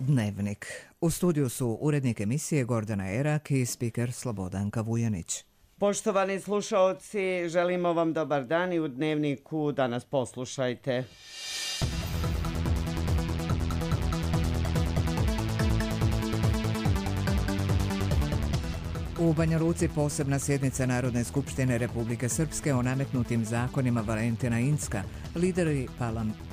Dnevnik. U studiju su urednik emisije Gordana Erak i spiker Slobodanka Vujanić. Poštovani slušaoci, želimo vam dobar dan i u Dnevniku danas poslušajte. U Banja Luci posebna sjednica Narodne skupštine Republike Srpske o nametnutim zakonima Valentina Incka. Lideri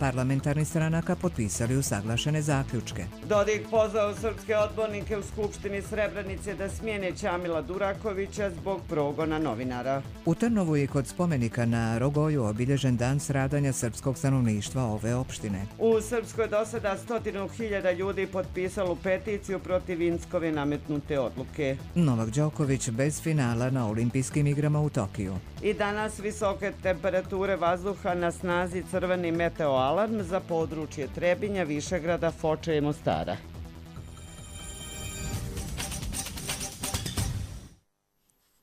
parlamentarnih stranaka potpisali usaglašene zaključke. Dodik pozvao srpske odbornike u Skupštini Srebrenice da smijene Ćamila Durakovića zbog progona novinara. U Trnovu je kod spomenika na Rogoju obilježen dan stradanja srpskog stanovništva ove opštine. U Srpskoj do sada 100.000 ljudi potpisalo peticiju protiv Inckove nametnute odluke. Novak Đoković bez finala na olimpijskim igrama u Tokiju. I danas visoke temperature vazduha, na snazi crveni meteoalarm za područje Trebinja, Višegrada, Foče i Mostara.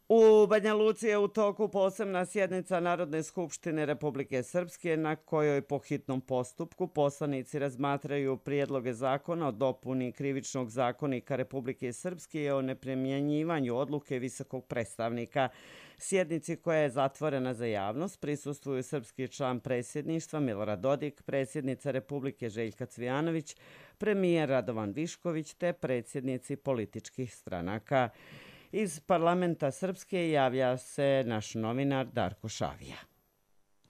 U Banja Luci je u toku posebna sjednica Narodne skupštine Republike Srpske na kojoj po hitnom postupku poslanici razmatraju prijedloge zakona o dopuni Krivičnog zakonika Republike Srpske i o neprimjenjivanju odluke visokog predstavnika. Sjednici koja je zatvorena za javnost prisustvuju srpski član predsjedništva Milorad Dodik, predsjednica Republike Željka Cvijanović, premijer Radovan Višković te predsjednici političkih stranaka. Iz parlamenta Srpske javlja se naš novinar Darko Šavija.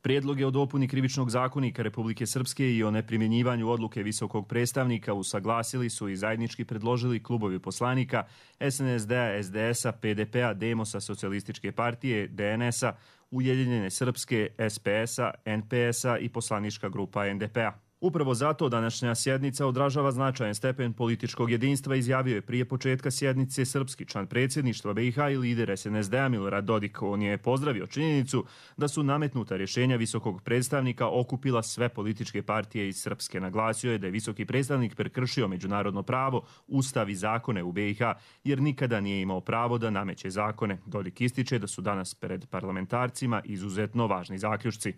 Prijedloge o dopuni Krivičnog zakonika Republike Srpske i o neprimjenjivanju odluke visokog predstavnika usaglasili su i zajednički predložili klubovi poslanika SNSD-a, SDS-a, PDP-a, Demosa, Socijalističke partije, DNS-a, Ujedinjene Srpske, SPS-a, NPS-a i poslanička grupa NDP-a. Upravo zato današnja sjednica odražava značajan stepen političkog jedinstva, izjavio je prije početka sjednice srpski član predsjedništva BiH i lider SNSD-a Milorad Dodik. On je pozdravio činjenicu da su nametnuta rješenja visokog predstavnika okupila sve političke partije iz Srpske. Naglasio je da je visoki predstavnik prekršio međunarodno pravo, ustav i zakone u BiH jer nikada nije imao pravo da nameće zakone. Dodik ističe da su danas pred parlamentarcima izuzetno važni zaključci.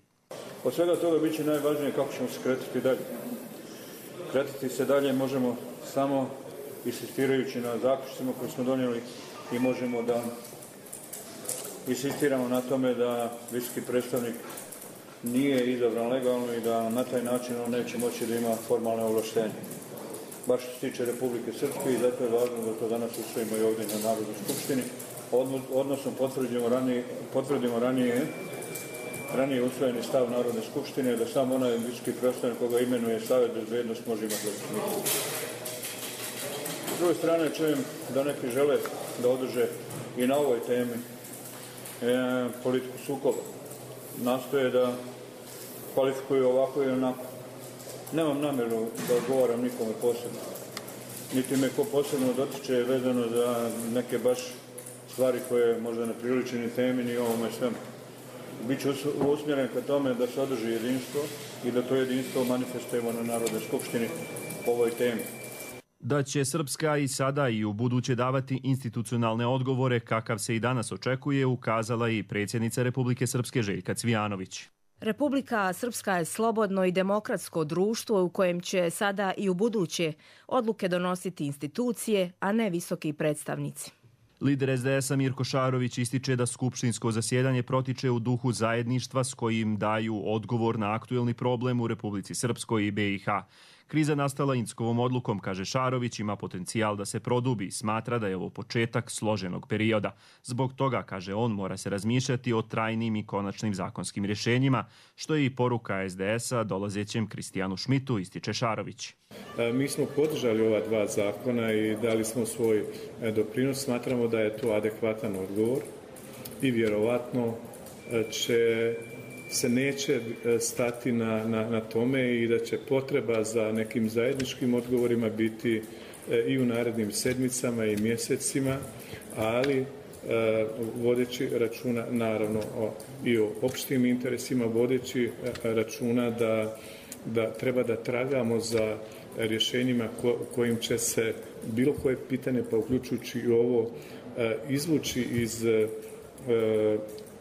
Od svega toga bit će najvažnije kako ćemo se kretati dalje. Kretati se dalje možemo samo insistirajući na zaključcima koje smo donijeli i možemo da insistiramo na tome da visoki predstavnik nije izabran legalno i da na taj način on neće moći da ima formalne ovlaštenje. Baš što se tiče Republike Srpske i zato je važno da to danas usvojimo i ovdje na Narodnoj skupštini, odnosno potvrdimo ranije usvojeni stav Narodne skupštine da samo onaj visoki predstavnik koga imenuje Savet bezbednosti može imati legitimitet. S druge strane čujem da neki žele da održe i na ovoj temi politiku sukoba. Nastoje da kvalifikuju ovako i onako. Nemam namjeru da odgovaram nikome posebno. Niti me ko posebno dotiče vezano za neke baš stvari koje možda ne priliče ni temi ni ovome svemu. Biće usmjeren ka tome da se održi jedinstvo i da to jedinstvo manifestujemo na Narodnoj skupštini po ovoj temi. Da će Srpska i sada i u buduće davati institucionalne odgovore kakav se i danas očekuje, ukazala i predsjednica Republike Srpske Željka Cvijanović. Republika Srpska je slobodno i demokratsko društvo u kojem će sada i u buduće odluke donositi institucije, a ne visoki predstavnici. Lider SDS-a Mirko Šarović ističe da skupštinsko zasjedanje protiče u duhu zajedništva s kojim daju odgovor na aktuelni problem u Republici Srpskoj i BiH. Kriza nastala Inckovom odlukom, kaže Šarović, ima potencijal da se produbi. Smatra da je ovo početak složenog perioda. Zbog toga, kaže on, mora se razmišljati o trajnim i konačnim zakonskim rješenjima, što je i poruka SDS-a dolazećem Kristijanu Šmitu, ističe Šarović. Mi smo podržali ova dva zakona i dali smo svoj doprinos. Smatramo da je to adekvatan odgovor i vjerovatno se neće stati na tome i da će potreba za nekim zajedničkim odgovorima biti i u narednim sedmicama i mjesecima, ali vodeći računa naravno i o opštim interesima, vodeći računa da treba da tragamo za rješenjima kojim će se bilo koje pitanje, pa uključujući i ovo, izvući iz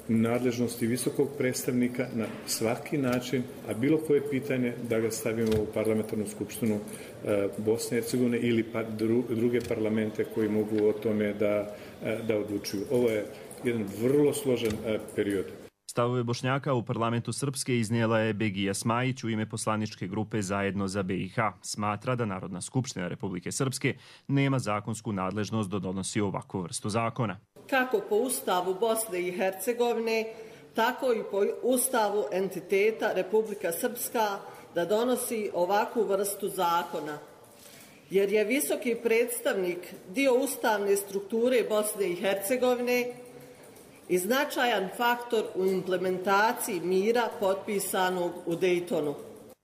nadležnosti visokog predstavnika na svaki način, a bilo koje pitanje da ga stavimo u parlamentarnu skupštinu Bosne i Hercegovine ili druge parlamente koji mogu o tome da odlučuju. Ovo je jedan vrlo složen period. Stavove Bošnjaka u parlamentu Srpske iznijela je Begija Smajić u ime poslaničke grupe Zajedno za BiH. Smatra da Narodna skupština Republike Srpske nema zakonsku nadležnost da donosi ovakvu vrstu zakona. Kako po Ustavu Bosne i Hercegovine, tako i po Ustavu entiteta Republika Srpska da donosi ovakvu vrstu zakona. Jer je visoki predstavnik dio ustavne strukture Bosne i Hercegovine i značajan faktor u implementaciji mira potpisanog u Dejtonu.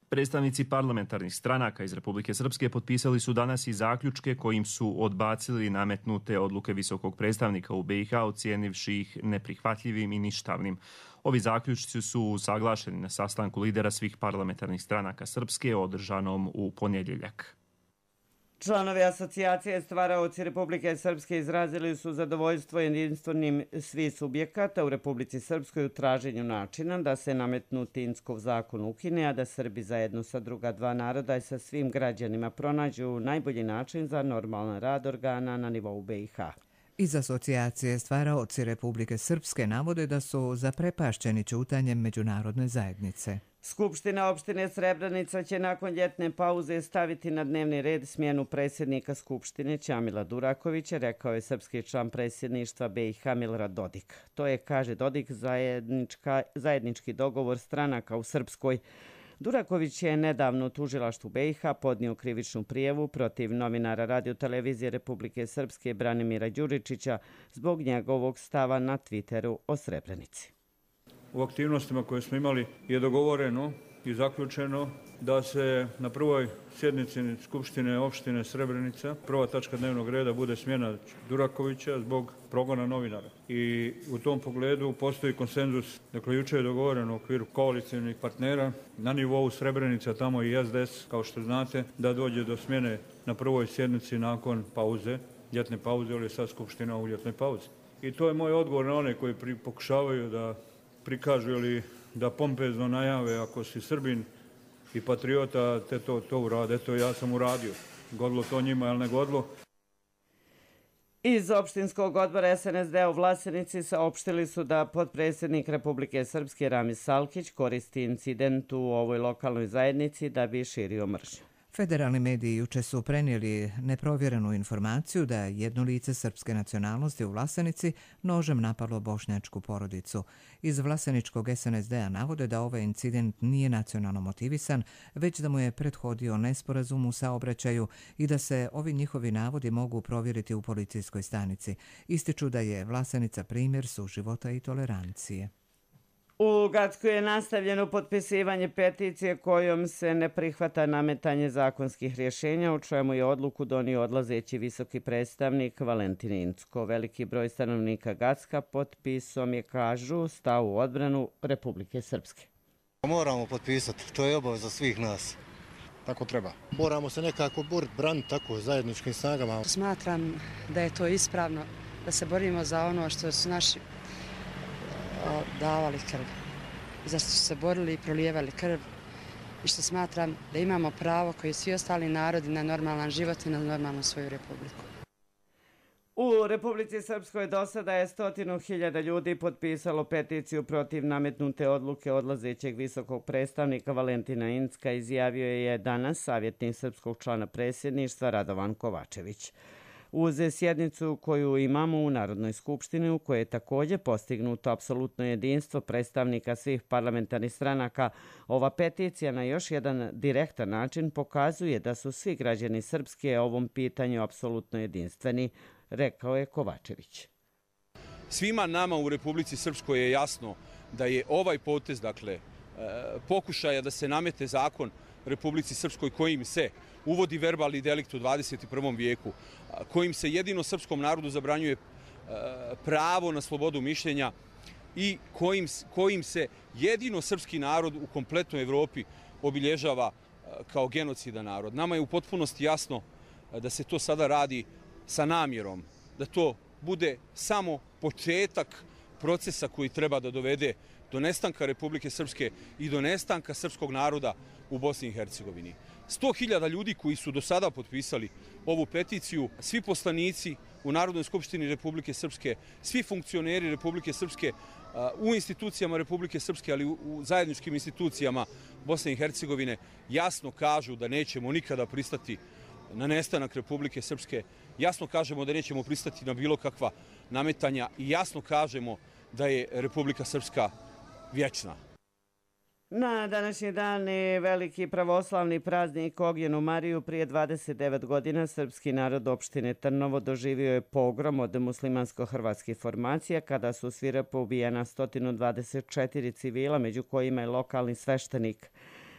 Predstavnici parlamentarnih stranaka iz Republike Srpske potpisali su danas i zaključke kojim su odbacili nametnute odluke visokog predstavnika u BiH, ocijenivši ih neprihvatljivim i ništavnim. Ovi zaključci su usaglašeni na sastanku lidera svih parlamentarnih stranaka Srpske održanom u ponedjeljak. Članovi asocijacije Stvaraoci Republike Srpske izrazili su zadovoljstvo jedinstvenim svih subjekata u Republici Srpskoj u traženju načina da se nametnuti Inckov zakon ukine, a da Srbi zajedno sa druga dva naroda i sa svim građanima pronađu najbolji način za normalan rad organa na nivou BiH. Iz asocijacije Stvaraoci Republike Srpske navode da su zaprepašćeni ćutanjem međunarodne zajednice. Skupština opštine Srebrenica će nakon ljetne pauze staviti na dnevni red smjenu predsjednika Skupštine Ćamila Durakovića, rekao je srpski član predsjedništva BiH Milorad Dodik. To je, kaže Dodik, zajednički dogovor stranaka u Srpskoj. Duraković je nedavno u tužilaštvu BiH podnio krivičnu prijavu protiv novinara Radio-televizije Republike Srpske Branimira Đuričića zbog njegovog stava na Twitteru o Srebrenici. U aktivnostima koje smo imali je dogovoreno i zaključeno da se na prvoj sjednici Skupštine opštine Srebrenica prva tačka dnevnog reda bude smjena Durakovića zbog progona novinara. I u tom pogledu postoji konsenzus, dakle jučer je dogovoreno u okviru koalicijnih partnera na nivou Srebrenica, tamo i SDS, kao što znate, da dođe do smjene na prvoj sjednici nakon pauze, ljetne pauze, ili je sad Skupština u ljetnoj pauzi. I to je moj odgovor na one koji pokušavaju da prikažu ili da pompezno najave ako si Srbin i patriota, te to urade. Eto, ja sam uradio. Godilo to njima, ali ne godilo. Iz opštinskog odbora SNSD u Vlasenici saopštili su da potpredsjednik Republike Srpske Ramis Salkić koristi incident u ovoj lokalnoj zajednici da bi širio mržnju. Federalni mediji juče su prenijeli neprovjerenu informaciju da jedno lice srpske nacionalnosti u Vlasenici nožem napalo bošnjačku porodicu. Iz vlaseničkog SNSD-a navode da ovaj incident nije nacionalno motivisan, već da mu je prethodio nesporazum u saobraćaju i da se ovi njihovi navodi mogu provjeriti u policijskoj stanici. Ističu da je Vlasenica primjer suživota i tolerancije. U Gacku je nastavljeno potpisivanje peticije kojom se ne prihvata nametanje zakonskih rješenja, u čemu je odluku donio odlazeći visoki predstavnik Valentin Incko. Veliki broj stanovnika Gacka potpisom je, kažu, stao u odbranu Republike Srpske. Moramo potpisati, to je obaveza svih nas. Tako treba. Moramo se nekako boriti, braniti tako zajedničkim snagama. Smatram da je to ispravno, da se borimo za ono što su naši davali krv, zašto su se borili i prolijevali krv i što smatram da imamo pravo koji svi ostali narodi na normalan život i na normalnu svoju republiku. U Republici Srpskoj do sada je 100.000 ljudi potpisalo peticiju protiv nametnute odluke odlazećeg visokog predstavnika Valentina Incka, izjavio je danas savjetnik srpskog člana predsjedništva Radovan Kovačević. Uz sjednicu koju imamo u Narodnoj skupštini, u kojoj je također postignuto apsolutno jedinstvo predstavnika svih parlamentarnih stranaka, ova peticija na još jedan direktan način pokazuje da su svi građani Srpske ovom pitanju apsolutno jedinstveni, rekao je Kovačević. Svima nama u Republici Srpskoj je jasno da je ovaj potez, dakle, pokušaja da se namete zakon Republici Srpskoj kojim se uvodi verbalni delikt u 21. vijeku, kojim se jedino srpskom narodu zabranjuje pravo na slobodu mišljenja i kojim se jedino srpski narod u kompletnoj Evropi obilježava kao genocidan narod. Nama je u potpunosti jasno da se to sada radi sa namjerom, da to bude samo početak procesa koji treba da dovede do nestanka Republike Srpske i do nestanka srpskog naroda u Bosni i Hercegovini. 100.000 ljudi koji su do sada potpisali ovu peticiju, svi poslanici u Narodnoj skupštini Republike Srpske, svi funkcioneri Republike Srpske, u institucijama Republike Srpske, ali u zajedničkim institucijama Bosne i Hercegovine, jasno kažu da nećemo nikada pristati na nestanak Republike Srpske, jasno kažemo da nećemo pristati na bilo kakva nametanja i jasno kažemo da je Republika Srpska vječna. Na današnji dan je veliki pravoslavni praznik Ognjenu Mariju. Prije 29 godina srpski narod opštine Trnovo doživio je pogrom od muslimansko-hrvatskih formacija kada su svirepo ubijena 124 civila, među kojima je lokalni sveštenik.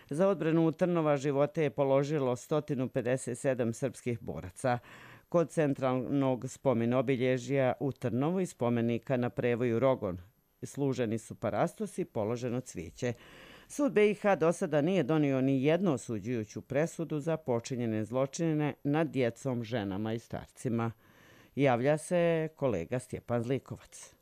Za odbranu Trnova živote je položilo 157 srpskih boraca. Kod centralnog spomen obilježja u Trnovu i spomenika na prevoju Rogon služeni su parastos i položeno cvijeće. Sud BiH do sada nije donio ni jednu osuđujuću presudu za počinjene zločine nad djecom, ženama i starcima. Javlja se kolega Stjepan Zlikovac.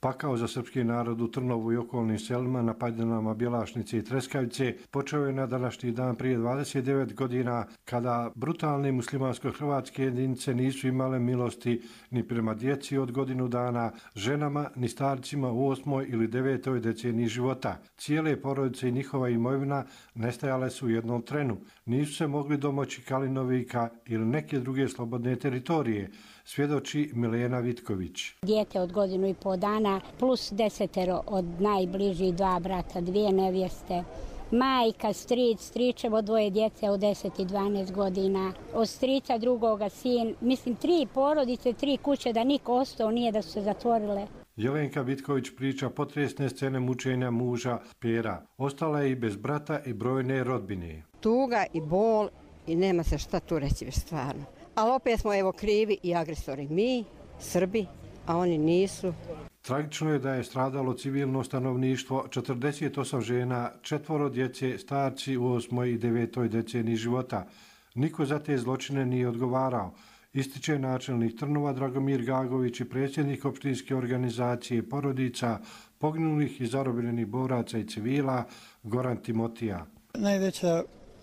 Pakao za srpski narod u Trnovu i okolnim selima na padinama Bjelašnice i Treskavice počeo je na današnji dan prije 29 godina kada brutalne muslimansko-hrvatske jedinice nisu imale milosti ni prema djeci od godinu dana, ženama ni starcima u 8. ili 9. deceniji života. Cijele porodice i njihova imovina nestajale su u jednom trenu. Nisu se mogli domoći Kalinovika ili neke druge slobodne teritorije, svjedoči Milena Vitković. Dijete od godinu i pol dana plus 10 od najbližih, 2 brata, 2 nevjeste. Majka, stric, stričevo 2 djece od 10 i 12 godina. Od strica drugoga sin, mislim 3 porodice, 3 kuće da niko ostao nije da su se zatvorile. Jelenka Vitković priča potresne scene mučenja muža Pera. Ostala je i bez brata i brojne rodbine. Tuga i bol i nema se šta tu reći već stvarno. Ali opet smo evo krivi i agresori. Mi, Srbi, a oni nisu. Tragično je da je stradalo civilno stanovništvo, 48 žena, 4 djece, starci u 8. i 9. deceniji života. Niko za te zločine nije odgovarao. Ističe načelnik Trnova Dragomir Gagović i predsjednik opštinske organizacije porodica poginulih i zarobljenih boraca i civila Goran Timotija. Najveća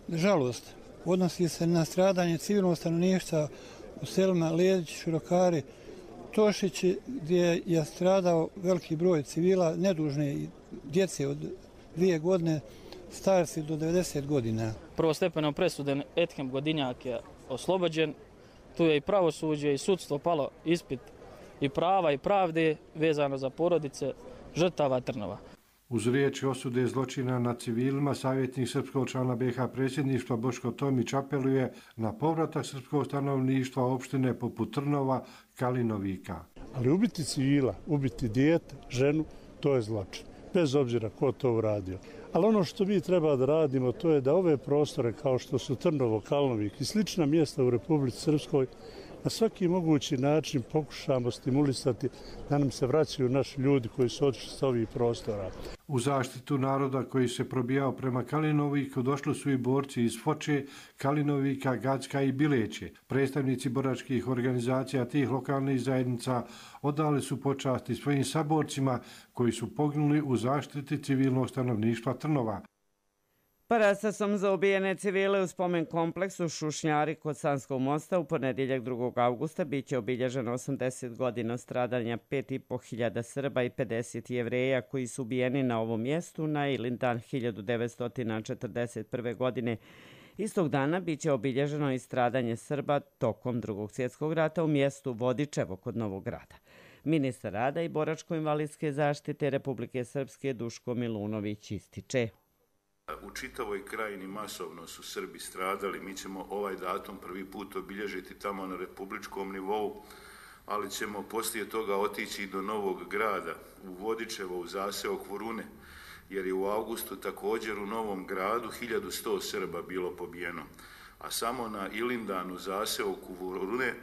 žalost odnosi se na stradanje civilnog stanovništva u selima Ledić, Širokari, Tošići, gdje je stradao veliki broj civila, nedužne djece od 2 godine, starci do 90 godina. Prvostepenom presudom Ethem Godinjak je oslobođen. Tu je i pravosuđe i sudstvo palo ispit i prava i pravde vezano za porodice žrtava Trnova. Uz riječi osude zločina nad civilima, savjetnik srpskog člana BiH predsjedništva Boško Tomić apeluje na povratak srpskog stanovništva opštine poput Trnova, Kalinovika. Ali ubiti civila, ubiti dijete, ženu, to je zločin. Bez obzira ko to uradio. Ali ono što mi treba da radimo, to je da ove prostore kao što su Trnovo, Kalinovik i slična mjesta u Republici Srpskoj na svaki mogući način pokušamo stimulisati da nam se vraćaju naši ljudi koji su otišli s ovih prostora. U zaštitu naroda koji se probijao prema Kalinoviku došli su i borci iz Foče, Kalinovika, Gacka i Bileće. Predstavnici boračkih organizacija tih lokalnih zajednica odali su počasti svojim saborcima koji su poginuli u zaštiti civilnog stanovništva Trnova. Parastasom za ubijene civile u spomen kompleksu Šušnjari kod Sanskog mosta u ponedjeljak 2. augusta biće obilježeno 80 godina stradanja 5.500 Srba i 50 Jevreja koji su ubijeni na ovom mjestu na Ilindan 1941. godine. Istog dana biće obilježeno i stradanje Srba tokom Drugog svjetskog rata u mjestu Vodičevo kod Novog Grada. Ministar rada i boračko-invalidske zaštite Republike Srpske Duško Milunović ističe. U čitavoj krajini masovno su Srbi stradali. Mi ćemo ovaj datum prvi put obilježiti tamo na republičkom nivou, ali ćemo poslije toga otići do Novog Grada, u Vodičevo, u zaseok Vorune, jer je u augustu također u Novom Gradu 1100 Srba bilo pobijeno. a samo na Ilindanu zaseoku Vurune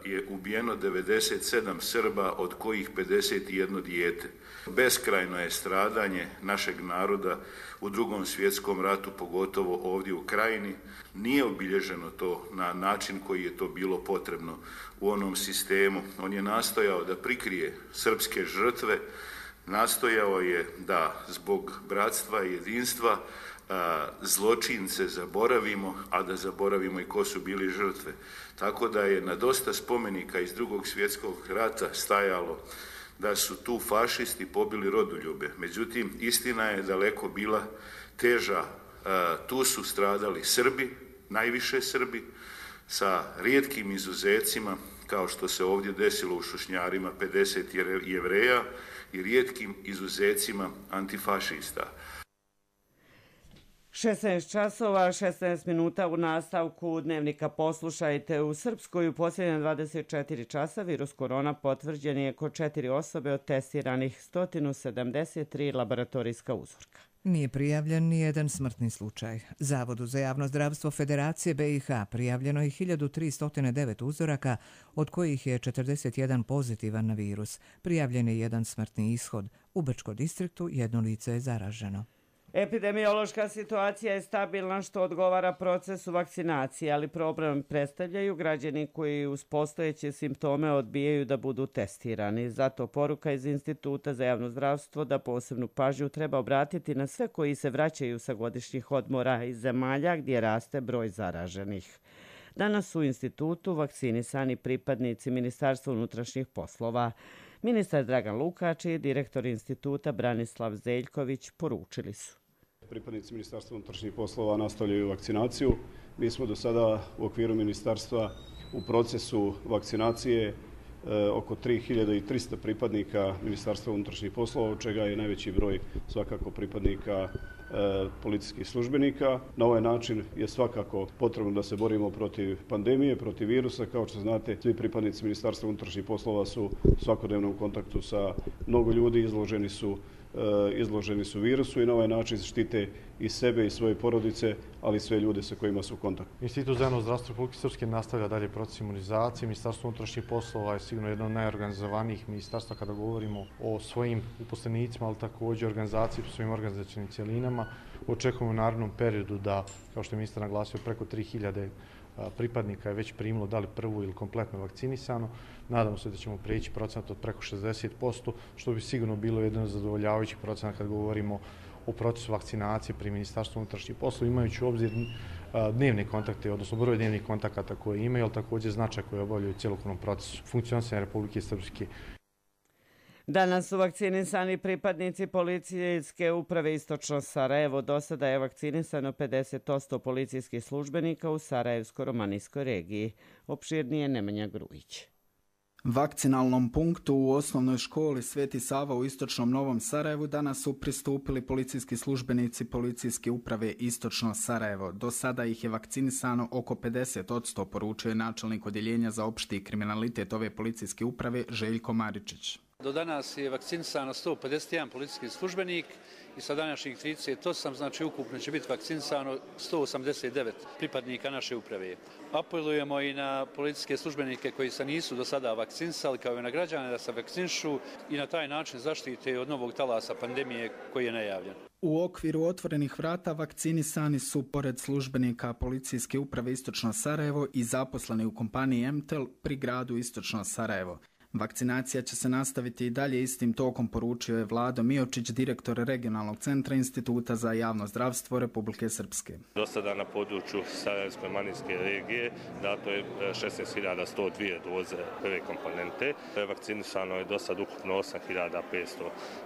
je ubijeno 97 Srba, od kojih 51 dijete. Beskrajno je stradanje našeg naroda u Drugom svjetskom ratu, pogotovo ovdje u Krajini. Nije obilježeno to na način koji je to bilo potrebno u onom sistemu. On je nastojao da prikrije srpske žrtve, nastojao je da zbog bratstva i jedinstva zločince zaboravimo, a da zaboravimo i ko su bili žrtve. Tako da je na dosta spomenika iz Drugog svjetskog rata stajalo da su tu fašisti pobili rodoljube. Međutim, istina je daleko bila teža. Tu su stradali Srbi, najviše Srbi, sa rijetkim izuzecima, kao što se ovdje desilo u Šušnjarima, 50 Jevreja i rijetkim izuzecima antifašista. 16 časova, 16 minuta u nastavku dnevnika poslušajte. U Srpskoj u posljednje 24 časa virus korona potvrđen je kod 4 osobe od testiranih 173 laboratorijska uzorka. Nije prijavljen ni jedan smrtni slučaj. Zavodu za javno zdravstvo Federacije BiH prijavljeno je 1309 uzoraka, od kojih je 41 pozitivan na virus. Prijavljen je jedan smrtni ishod. U Brčkom distriktu jedno lice je zaraženo. Epidemiološka situacija je stabilna, što odgovara procesu vakcinacije, ali problem predstavljaju građani koji uz postojeće simptome odbijaju da budu testirani. Zato poruka iz Instituta za javno zdravstvo da posebnu pažnju treba obratiti na sve koji se vraćaju sa godišnjih odmora iz zemalja gdje raste broj zaraženih. Danas u institutu vakcinisani pripadnici Ministarstva unutrašnjih poslova. Ministar Dragan Lukač i direktor instituta Branislav Zeljković poručili su: pripadnici Ministarstva unutrašnjih poslova nastavljaju vakcinaciju. Mi smo do sada u okviru ministarstva u procesu vakcinacije oko 3300 pripadnika Ministarstva unutrašnjih poslova, od čega je najveći broj svakako pripadnika policijskih službenika. Na ovaj način je svakako potrebno da se borimo protiv pandemije, protiv virusa. Kao što znate, svi pripadnici Ministarstva unutrašnjih poslova su svakodnevno u kontaktu sa mnogo ljudi, izloženi su virusu i na ovaj način štite i sebe i svoje porodice, ali i sve ljude sa kojima su u kontaktu. Institut za javno zdravstvo Republike Srpske nastavlja dalje proces imunizacije. Ministarstvo unutrašnjih poslova je sigurno jedno od najorganizovanijih ministarstva kada govorimo o svojim uposlenicima, ali također organizaciji po svojim organizacijnim cjelinama. Očekujemo u narednom periodu da, kao što je ministar naglasio, preko 3000 pripadnika je već primilo da li prvu ili kompletno vakcinisano. Nadamo se da ćemo prijeći procenat od preko 60%, što bi sigurno bilo jedan zadovoljavajući procenat kad govorimo o procesu vakcinacije pri Ministarstvu unutrašnjih poslova, imajući u obzir dnevne kontakte, odnosno broj dnevnih kontakata koje imaju, ali također značaj koji obavljaju u cjelokupnom procesu funkcionisanja Republike Srpske. Danas su vakcinisani pripadnici policijske uprave Istočno Sarajevo. Do sada je vakcinisano 50% policijskih službenika u Sarajevsko-romanijskoj regiji. Opširnije Nemanja Grujić. Vakcinalnom punktu u osnovnoj školi Sveti Sava u Istočnom Novom Sarajevu danas su pristupili policijski službenici policijske uprave Istočno Sarajevo. Do sada ih je vakcinisano oko 50%, poručuje je načelnik odjeljenja za opšti kriminalitet ove policijske uprave Željko Maričić. Do danas je vakcinisano 151 policijski službenik i sa današnjih 38, znači ukupno će biti vakcinisano 189 pripadnika naše uprave. Apelujemo i na policijske službenike koji se nisu do sada vakcinisali, kao i na građane da se vakcinišu i na taj način zaštite od novog talasa pandemije koji je najavljen. U okviru otvorenih vrata vakcinisani su, pored službenika policijske uprave Istočno Sarajevo, i zaposleni u kompaniji MTEL pri gradu Istočno Sarajevo. Vakcinacija će se nastaviti i dalje istim tokom, poručio je Vlado Miočić, direktor regionalnog centra Instituta za javno zdravstvo Republike Srpske. Do sada na području Sarajevsko-romanijske regije dato je 16.102 doze prve komponente. Vakcinisano je do sad ukupno 8.500,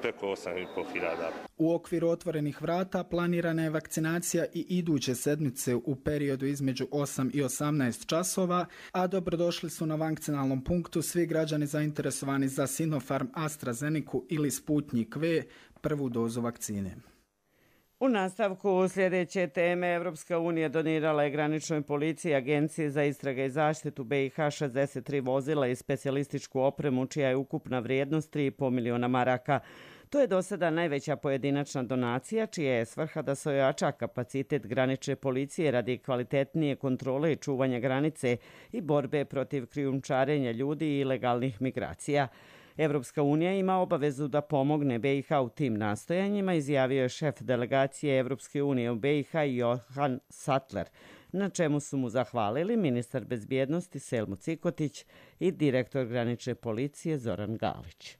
preko 8.500. U okviru otvorenih vrata planirana je vakcinacija i iduće sedmice u periodu između 8 i 18 časova, a dobrodošli su na vakcinalnom punktu svi građani zainteresovani za Sinopharm, AstraZeneca ili Sputnik V, prvu dozu vakcine. U nastavku sljedeće teme, Evropska unija donirala je graničnoj policiji, Agenciji za istrage i zaštitu BiH 63 vozila i specijalističku opremu, čija je ukupna vrijednost 3,5 miliona maraka. To je do sada najveća pojedinačna donacija, čija je svrha da se ojača kapacitet granične policije radi kvalitetnije kontrole i čuvanja granice i borbe protiv krijumčarenja ljudi i ilegalnih migracija. Evropska unija ima obavezu da pomogne BiH u tim nastojanjima, izjavio je šef delegacije Evropske unije u BiH Johan Sattler, na čemu su mu zahvalili ministar bezbjednosti Selmo Cikotić i direktor granične policije Zoran Galić.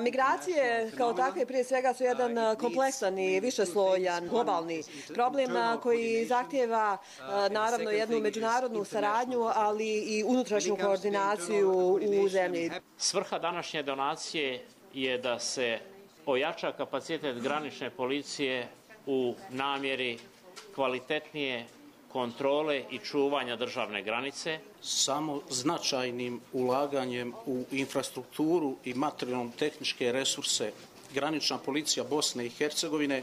Migracije kao takve prije svega su jedan kompleksan i višeslojan globalni problem koji zahtijeva naravno jednu međunarodnu saradnju, ali i unutrašnju koordinaciju u zemlji. Svrha današnje donacije je da se ojača kapacitet granične policije u namjeri kvalitetnije kontrole i čuvanja državne granice. Samo značajnim ulaganjem u infrastrukturu i materijalno-tehničke resurse granična policija Bosne i Hercegovine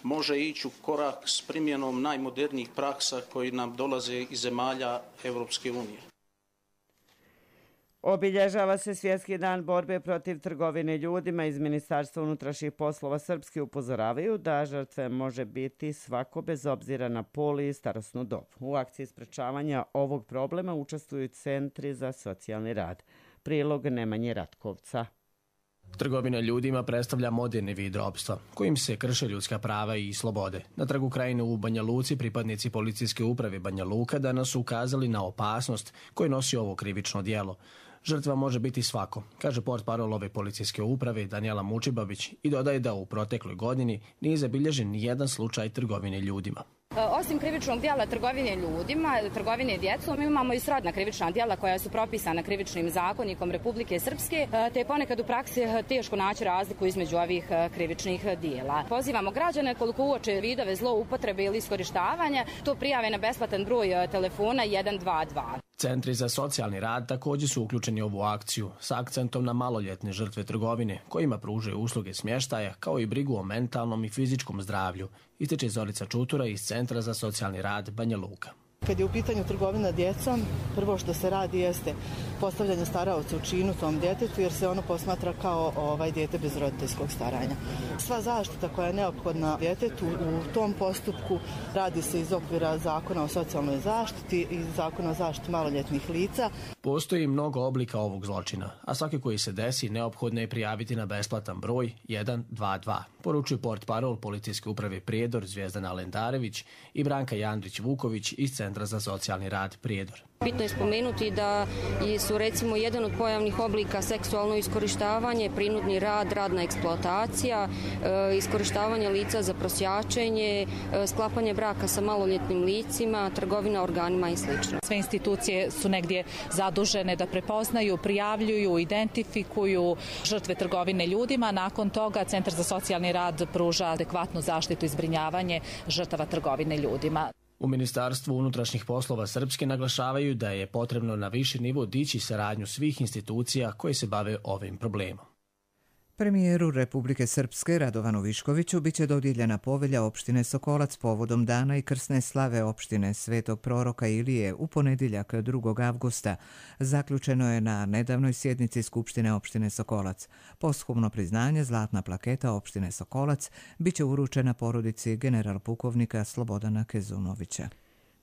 može ići u korak s primjenom najmodernijih praksa koji nam dolaze iz zemalja Evropske unije. Obilježava se Svjetski dan borbe protiv trgovine ljudima. Iz Ministarstva unutrašnjih poslova Srpske upozoravaju da žrtve može biti svako bez obzira na pol i starosnu dob. U akciji sprečavanja ovog problema učestvuju centri za socijalni rad. Prilog Nemanje Ratkovca. Trgovina ljudima predstavlja moderni vid ropstva, kojim se krše ljudska prava i slobode. Na Trgu Krajine u Banja Luci pripadnici policijske uprave Banja Luka danas su ukazali na opasnost koju nosi ovo krivično djelo. Žrtva može biti svako, kaže portparol ove policijske uprave Danijela Mučibabić i dodaje da u protekloj godini nije zabilježen nijedan slučaj trgovine ljudima. Osim krivičnog djela trgovine ljudima, trgovine djecom, imamo i srodna krivična djela koja su propisana krivičnim zakonikom Republike Srpske, te je ponekad u praksi teško naći razliku između ovih krivičnih djela. Pozivamo građane koliko uoče vidove zloupotrebe ili iskorištavanja, to prijave na besplatan broj telefona 122. Centri za socijalni rad također su uključeni u ovu akciju s akcentom na maloljetne žrtve trgovine, kojima pružaju usluge smještaja kao i brigu o mentalnom i fizičkom zdravlju, ističe Zorica Čutura iz Centra za socijalni rad Banja Luka. Kad je u pitanju trgovina djecom, prvo što se radi jeste postavljanje staraoca u činu tom djetetu, jer se ono posmatra kao dijete bez roditeljskog staranja. Sva zaštita koja je neophodna djetetu u tom postupku radi se iz okvira Zakona o socijalnoj zaštiti i Zakona o zaštiti maloljetnih lica. Postoji mnogo oblika ovog zločina, a svaki koji se desi neophodno je prijaviti na besplatan broj 122, poručuju portparol policijske uprave Prijedor Zvijezdana Lendarević i Branka Jandrić-Vuković iz Centra za socijalni rad Prijedor. Bitno je spomenuti da su recimo jedan od pojavnih oblika seksualno iskorištavanje, prinudni rad, radna eksploatacija, iskorištavanje lica za prosjačenje, sklapanje braka sa maloljetnim licima, trgovina organima i sl. Sve institucije su negdje zadužene da prepoznaju, prijavljuju, identifikuju žrtve trgovine ljudima. Nakon toga Centar za socijalni rad pruža adekvatnu zaštitu i zbrinjavanje žrtava trgovine ljudima. U Ministarstvu unutrašnjih poslova Srpske naglašavaju da je potrebno na viši nivo dići saradnju svih institucija koje se bave ovim problemom. Premijeru Republike Srpske Radovanu Viškoviću biće dodijeljena povelja opštine Sokolac povodom dana i krsne slave opštine Svetog proroka Ilije u ponedjeljak 2. avgusta. Zaključeno je na nedavnoj sjednici Skupštine opštine Sokolac. Posthumno priznanje Zlatna plaketa opštine Sokolac biće uručena porodici general pukovnika Slobodana Kezunovića.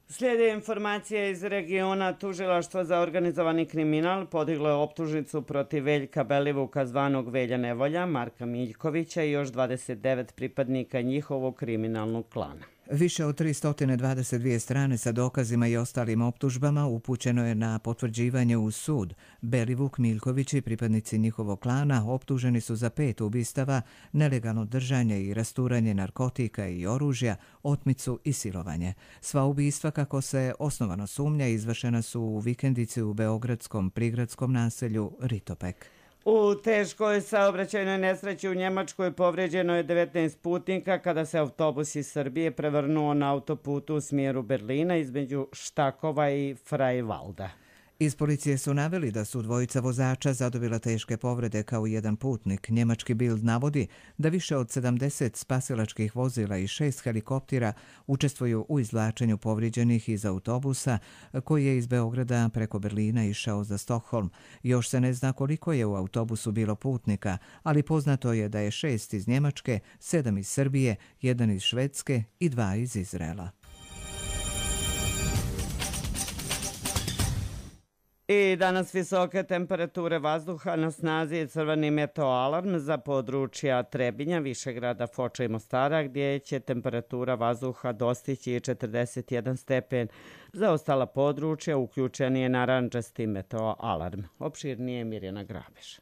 Slijede informacije iz regiona. Tužilaštvo za organizovani kriminal podiglo je optužnicu protiv Veljka Belivuka zvanog Velja Nevolja, Marka Miljkovića i još 29 pripadnika njihovog kriminalnog klana. Više od 322 strane sa dokazima i ostalim optužbama upućeno je na potvrđivanje u sud. Belivuk, Miljković i pripadnici njihovog klana optuženi su za 5 ubistava, nelegalno držanje i rasturanje narkotika i oružja, otmicu i silovanje. Sva ubistva, kako se osnovano sumnja, izvršena su u vikendici u beogradskom prigradskom naselju Ritopek. U teškoj saobraćajnoj nesreći u Njemačkoj povrijeđeno je 19 putnika kada se autobus iz Srbije prevrnuo na autoputu u smjeru Berlina između Štakova i Freiwalda. Iz policije su naveli da su dvojica vozača zadobila teške povrede kao jedan putnik. Njemački Bild navodi da više od 70 spasilačkih vozila i 6 helikoptera učestvuju u izvlačenju povrijeđenih iz autobusa koji je iz Beograda preko Berlina išao za Stokholm. Još se ne zna koliko je u autobusu bilo putnika, ali poznato je da je 6 iz Njemačke, 7 iz Srbije, 1 iz Švedske i 2 iz Izraela. I danas visoke temperature vazduha, na snazi je crveni meteoalarm za područja Trebinja, Višegrada, Foča i Mostara, gdje će temperatura vazduha dostići 41 stepen. Za ostala područja uključen je narandžasti meteoalarm. Opširnije Mirjana Grabež.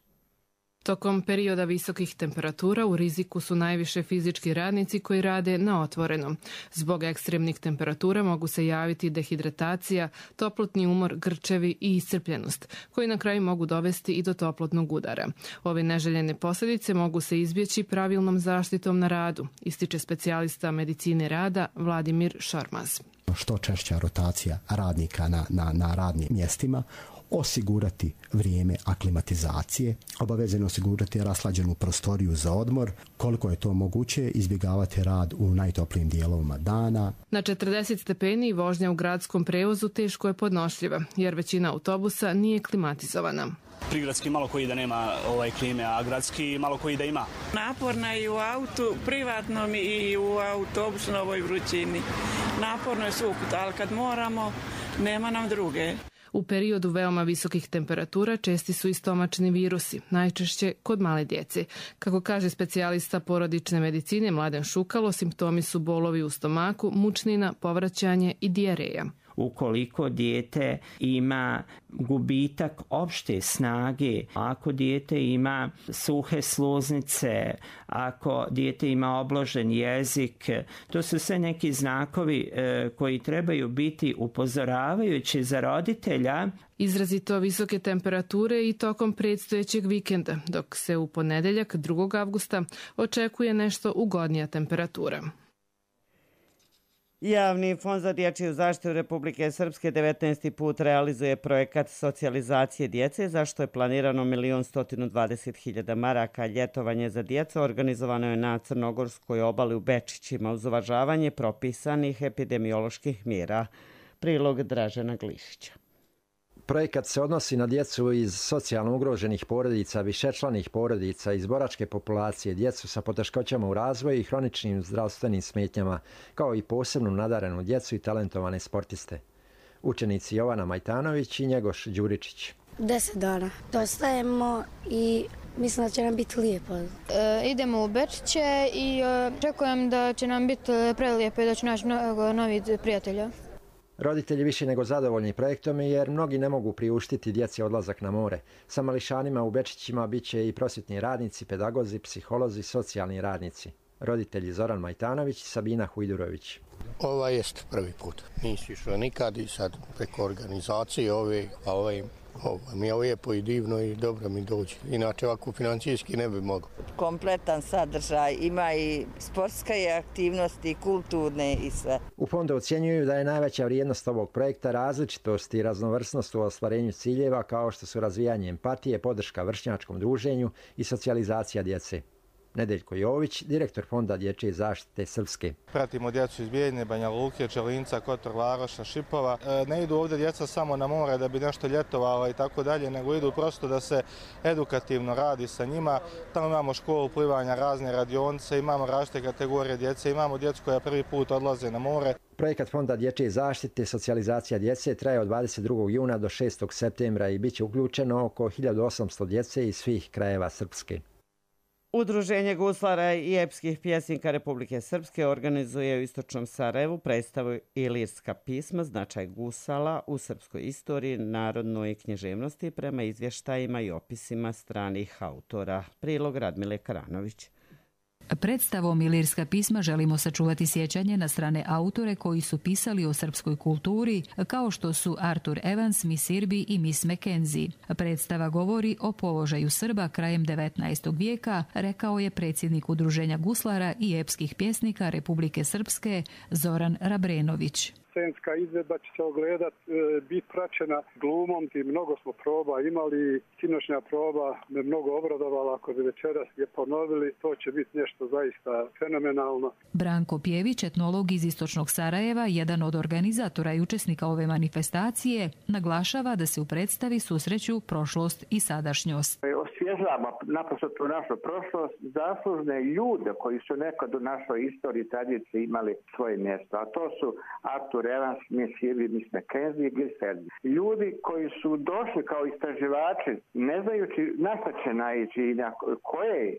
Tokom perioda visokih temperatura u riziku su najviše fizički radnici koji rade na otvorenom. Zbog ekstremnih temperatura mogu se javiti dehidratacija, toplotni umor, grčevi i iscrpljenost, koji na kraju mogu dovesti i do toplotnog udara. Ove neželjene posljedice mogu se izbjeći pravilnom zaštitom na radu, ističe specijalista medicine rada Vladimir Šormaz. Što češća rotacija radnika na radnim mjestima, osigurati vrijeme aklimatizacije, obavezno osigurati raslađenu prostoriju za odmor, koliko je to moguće izbjegavati rad u najtoplijim dijelovima dana. Na 40 stepeni vožnja u gradskom prevozu teško je podnošljiva, jer većina autobusa nije klimatizovana. Prigradski malo koji da nema klime, a gradski malo koji da ima. Naporna i u autu, privatnom i u autobusu na ovoj vrućini. Naporno je svukut, ali kad moramo, nema nam druge. U periodu veoma visokih temperatura česti su i stomačni virusi, najčešće kod male djece. Kako kaže specijalista porodične medicine Mladen Šukalo, simptomi su bolovi u stomaku, mučnina, povraćanje i dijareja. Ukoliko dijete ima gubitak opšte snage, ako dijete ima suhe sluznice, ako dijete ima obložen jezik, to su sve neki znakovi koji trebaju biti upozoravajući za roditelja. Izrazito visoke temperature i tokom predstojećeg vikenda, dok se u ponedeljak 2. avgusta očekuje nešto ugodnija temperatura. Javni fond za dječju zaštitu Republike Srpske 19. put realizuje projekat socijalizacije djece, za što je planirano 1.120.000 maraka. Ljetovanje za djecu organizovano je na Crnogorskoj obali u Bečićima uz uvažavanje propisanih epidemioloških mjera. Prilog Dražena Glišića. Projekat se odnosi na djecu iz socijalno ugroženih porodica, višečlanih porodica, iz boračke populacije, djecu sa poteškoćama u razvoju i hroničnim zdravstvenim smetnjama, kao i posebno nadarenu djecu i talentovane sportiste. Učenici Jovana Majtanović i Njegoš Đuričić. 10 dana. Dostajemo i mislim da će nam biti lijepo. Idemo u Bečiće i očekujem da će nam biti prelijepo i da će naći mnogo novih prijatelja. Roditelji više nego zadovoljni projektom jer mnogi ne mogu priuštiti djeci odlazak na more. Sa mališanima u Bečićima bit će i prosvjetni radnici, pedagozi, psiholozi, socijalni radnici. Roditelji Zoran Majtanović i Sabina Hujdurović. Ovo jest prvi put. Nisi išao nikad i sad preko organizacije ove mi je lijepo i divno i dobro mi dođe. Inače ovako financijski ne bi mogao. Kompletan sadržaj, ima i sportske aktivnosti, kulturne i sve. U fondu ocjenjuju da je najveća vrijednost ovog projekta različitost i raznovrsnost u ostvarenju ciljeva kao što su razvijanje empatije, podrška vršnjačkom druženju i socijalizacija djece. Nedeljko Jović, direktor Fonda dječje zaštite Srpske. Pratimo djecu iz Bijeljine, Banja Luke, Čelinca, Kotor Varoša, Šipova. Ne idu ovdje djeca samo na more da bi nešto ljetovala i tako dalje, nego idu prosto da se edukativno radi sa njima. Tamo imamo školu plivanja, razne radionice, imamo različite kategorije djece, imamo djecu koja prvi put odlaze na more. Projekat Fonda dječje zaštite socijalizacija djece traje od 22. juna do 6. septembra i bit će uključeno oko 1800 djece iz svih krajeva Srpske. Udruženje guslara i epskih pjesnika Republike Srpske organizuje u Istočnom Sarajevu predstavu Ilirska pisma, značaj gusala u srpskoj istoriji, narodnoj književnosti prema izvještajima i opisima stranih autora. Prilog Radmile Karanović. Predstavom Ilirska pisma želimo sačuvati sjećanje na strane autore koji su pisali o srpskoj kulturi, kao što su Arthur Evans, Miss Irby i Miss Mackenzie. Predstava govori o položaju Srba krajem 19. vijeka, rekao je predsjednik Udruženja guslara i epskih pjesnika Republike Srpske Zoran Rabrenović. scenska izvedba će se ogledat, biti praćena glumom i mnogo smo proba imali. Sinoćnja proba me mnogo obradovala, ako bi večeras je ponovili, to će biti nešto zaista fenomenalno. Branko Pjević, etnolog iz Istočnog Sarajeva, jedan od organizatora i učesnika ove manifestacije, naglašava da se u predstavi susreću prošlost i sadašnjost. Osvježavamo naprosto tu našu prošlost, zaslužne ljude koji su nekad u našoj istoriji tradiciji imali svoje mjesto, a to su Artur Evans, Miss Irby, Miss Mackenzie i Gilford. Ljudi koji su došli kao istraživači, ne znajući na šta će naići i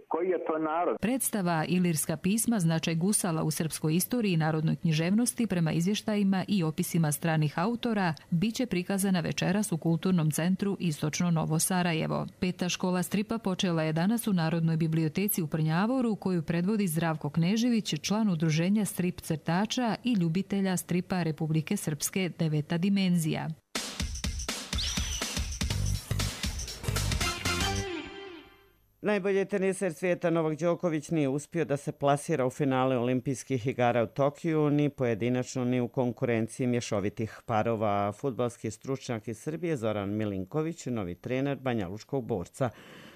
koji je to narod. Predstava Ilirska pisma, značaj gusala u srpskoj istoriji i narodnoj književnosti prema izvještajima i opisima stranih autora biće prikazana večeras u Kulturnom centru Istočno Novo Sarajevo. Peta škola stripa počela je danas u Narodnoj biblioteci u Prnjavoru, koju predvodi Zdravko Knežević, član udruženja strip crtača i ljubitelja stripa Republike Srpske 9. dimenzija. Najbolji teniser svijeta Novak Đoković nije uspio da se plasira u finale olimpijskih igara u Tokiju, ni pojedinačno ni u konkurenciji mješovitih parova. Fudbalski stručnjak iz Srbije Zoran Milinković, novi trener banjalučkog borca.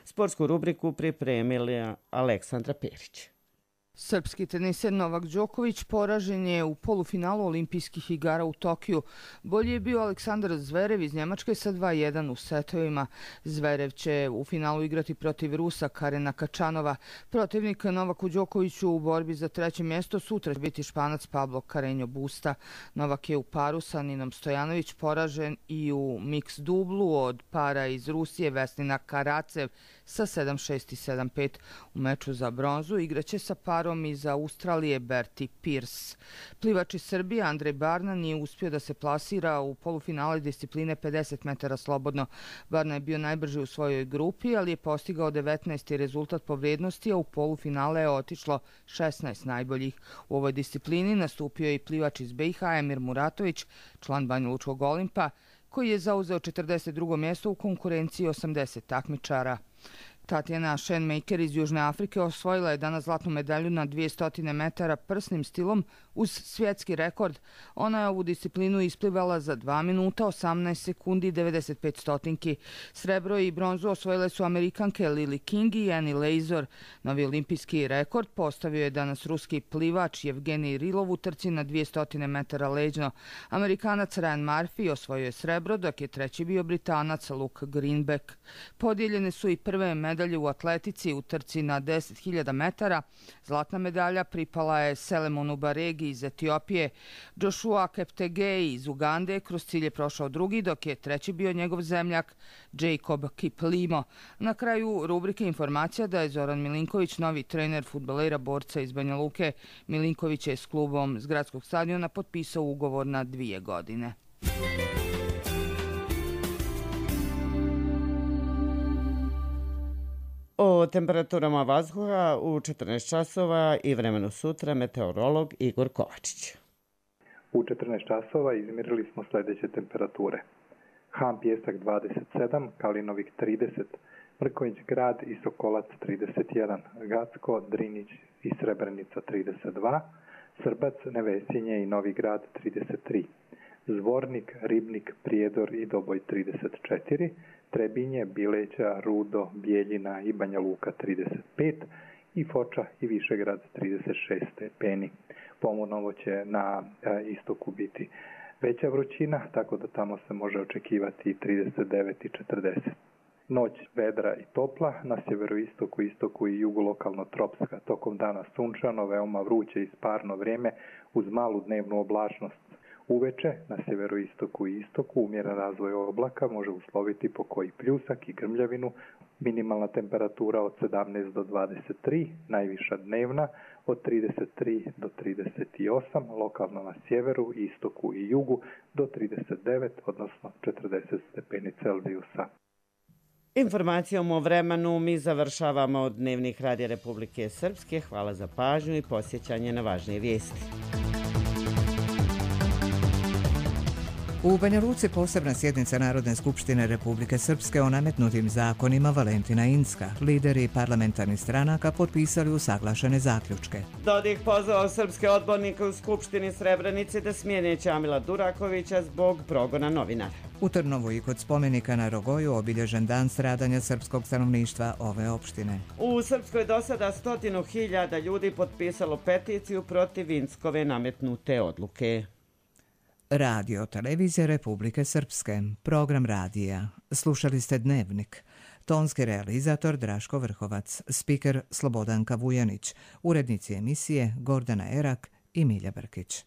Sportsku rubriku pripremila Aleksandra Perić. Srpski teniser Novak Đoković poražen je u polufinalu olimpijskih igara u Tokiju. Bolji je bio Aleksandar Zverev iz Njemačke sa 2:1 u setovima. Zverev će u finalu igrati protiv Rusa Karena Kačanova. Protivnik Novaku Đokoviću u borbi za treće mjesto sutra će biti Španac Pablo Carreño Busta. Novak je u paru sa Ninom Stojanović poražen i u mix dublu od para iz Rusije Vesnina Karacev sa 7:6 i 7:5. U meču za bronzu igraće sa parom iz Australije Bertie Pearce. Plivač iz Srbije Andrej Barna nije uspio da se plasira u polufinale discipline 50 metara slobodno. Barna je bio najbrži u svojoj grupi, ali je postigao 19. rezultat po vrijednosti, a u polufinale je otišlo 16 najboljih. U ovoj disciplini nastupio je i plivač iz BiH Emir Muratović, član Banjalučkog Olimpa, koji je zauzeo 42. mjesto u konkurenciji 80 takmičara. Tatjana Schoenmaker iz Južne Afrike osvojila je danas zlatnu medalju na 200 metara prsnim stilom uz svjetski rekord. Ona je ovu disciplinu isplivala za 2 minuta 18 sekundi i 95 stotinki. Srebro i bronzu osvojile su Amerikanke Lily King i Annie Lazor. Novi olimpijski rekord postavio je danas ruski plivač Evgenij Rilov u trci na 200 metara leđno. Amerikanac Ryan Murphy osvojio je srebro, dok je treći bio Britanac Luke Greenbeck. Podijeljene su i prve medalje u atletici u trci na 10.000 metara. Zlatna medalja pripala je Selemonu Baregi iz Etiopije. Joshua Keptegei iz Ugande kroz cilj je prošao drugi, dok je treći bio njegov zemljak Jacob Kiplimo. Na kraju rubrike informacija da je Zoran Milinković novi trener fudbalera borca iz Banja Luke. Milinković je s klubom s gradskog stadiona potpisao ugovor na 2 godine. O temperaturama vazduha u 14 časova i vremenu sutra meteorolog Igor Kovačić. U 14 časova izmjerili smo sljedeće temperature. Han Pijesak 27, Kalinovik 30, Mrkonjić Grad i Sokolac 31, Gacko, Drinić i Srebrenica 32, Srbac, Nevesinje i Novi Grad 33, Zvornik, Ribnik, Prijedor i Doboj 34, Trebinje, Bileća, Rudo, Bijeljina i Banja Luka 35 i Foča i Višegrad 36 stepeni. Ponovno će na istoku biti veća vrućina, tako da tamo se može očekivati 39 i 40. Noć vedra i topla, na sjeveroistoku, istoku i jugu lokalno tropska. Tokom dana sunčano, veoma vruće i sparno vrijeme uz malu dnevnu oblačnost. Uveče na sjeveroistoku i istoku umjeran razvoj oblaka može usloviti pokoji pljusak i grmljavinu. Minimalna temperatura od 17 do 23, najviša dnevna od 33 do 38, lokalno na sjeveru, istoku i jugu do 39, odnosno 40 stepeni Celzijusa. Informacijom o vremenu mi završavamo Dnevnik Radija Republike Srpske. Hvala za pažnju i posjećanje na važnije vijesti. U Banja Luci posebna sjednica Narodne skupštine Republike Srpske o nametnutim zakonima Valentina Incka. Lideri parlamentarnih stranaka potpisali usaglašene zaključke. Dodik pozvao srpske odbornike u Skupštini Srebrenici da smijene Ćamila Durakovića zbog progona novinara. U Trnovu i kod spomenika na Rogoju obilježen dan stradanja srpskog stanovništva ove opštine. U Srpskoj do sada 100.000 ljudi potpisalo peticiju protiv Inckove nametnute odluke. Radio Televizija Republike Srpske, program radija. Slušali ste Dnevnik. Tonski realizator Draško Vrhovac, spiker Slobodanka Vujanić, urednici emisije Gordana Erak i Milja Brkić.